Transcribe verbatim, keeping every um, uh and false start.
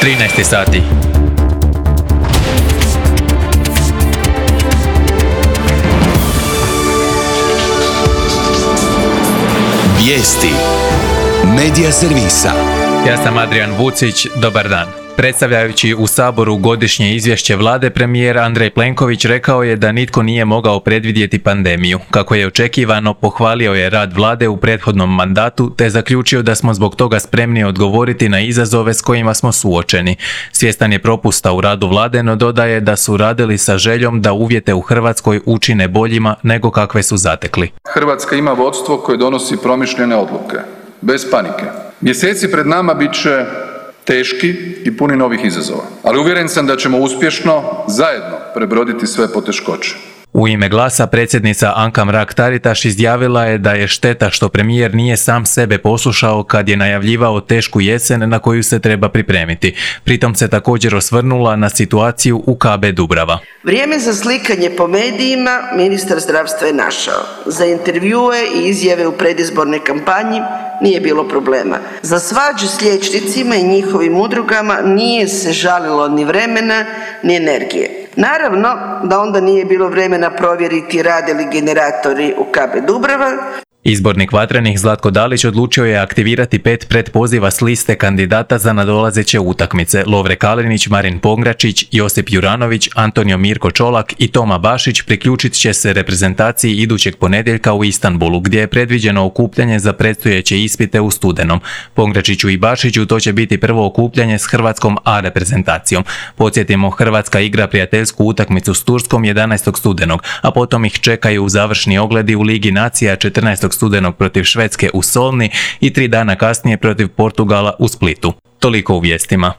trinaest sati. Vijesti Medija servisa. Ja sam Adrian Vucić, dobar dan. Predstavljajući u Saboru godišnje izvješće vlade, premijer Andrej Plenković rekao je da nitko nije mogao predvidjeti pandemiju. Kako je očekivano, pohvalio je rad vlade u prethodnom mandatu te zaključio da smo zbog toga spremni odgovoriti na izazove s kojima smo suočeni. Svjestan je propusta u radu vlade, no dodaje da su radili sa željom da uvjete u Hrvatskoj učine boljima nego kakve su zatekli. Hrvatska ima vodstvo koje donosi promišljene odluke, bez panike. Mjeseci pred nama bit će teški i puni novih izazova, ali uvjeren sam da ćemo uspješno zajedno prebroditi sve poteškoće. U ime Glasa predsjednica Anka Mrak-Taritaš izjavila je da je šteta što premijer nije sam sebe poslušao kad je najavljivao tešku jesen na koju se treba pripremiti. Pritom se također osvrnula na situaciju u K B Dubrava. Vrijeme za slikanje po medijima ministar zdravstva je našao. Za intervjue i izjave u predizbornoj kampanji nije bilo problema. Za svađu s liječnicima i njihovim udrugama nije se žalilo ni vremena ni energije. Naravno da onda nije bilo vremena provjeriti rade li generatori u K B Dubrava. Izbornik Vatrenih Zlatko Dalić odlučio je aktivirati pet pretpoziva s liste kandidata za nadolazeće utakmice. Lovre Kalinić, Marin Pongračić, Josip Juranović, Antonio Mirko Čolak i Toma Bašić priključit će se reprezentaciji idućeg ponedjeljka u Istanbulu, gdje je predviđeno okupljanje za predstojeće ispite u studenom. Pongračiću i Bašiću to će biti prvo okupljanje s Hrvatskom A reprezentacijom. Podsjetimo, Hrvatska igra prijateljsku utakmicu s Turskom jedanaestog studenog, a potom ih čekaju završni ogledi u Ligi nacija četrnaestog studenog protiv Švedske u Solni i tri dana kasnije protiv Portugala u Splitu. Toliko u vijestima.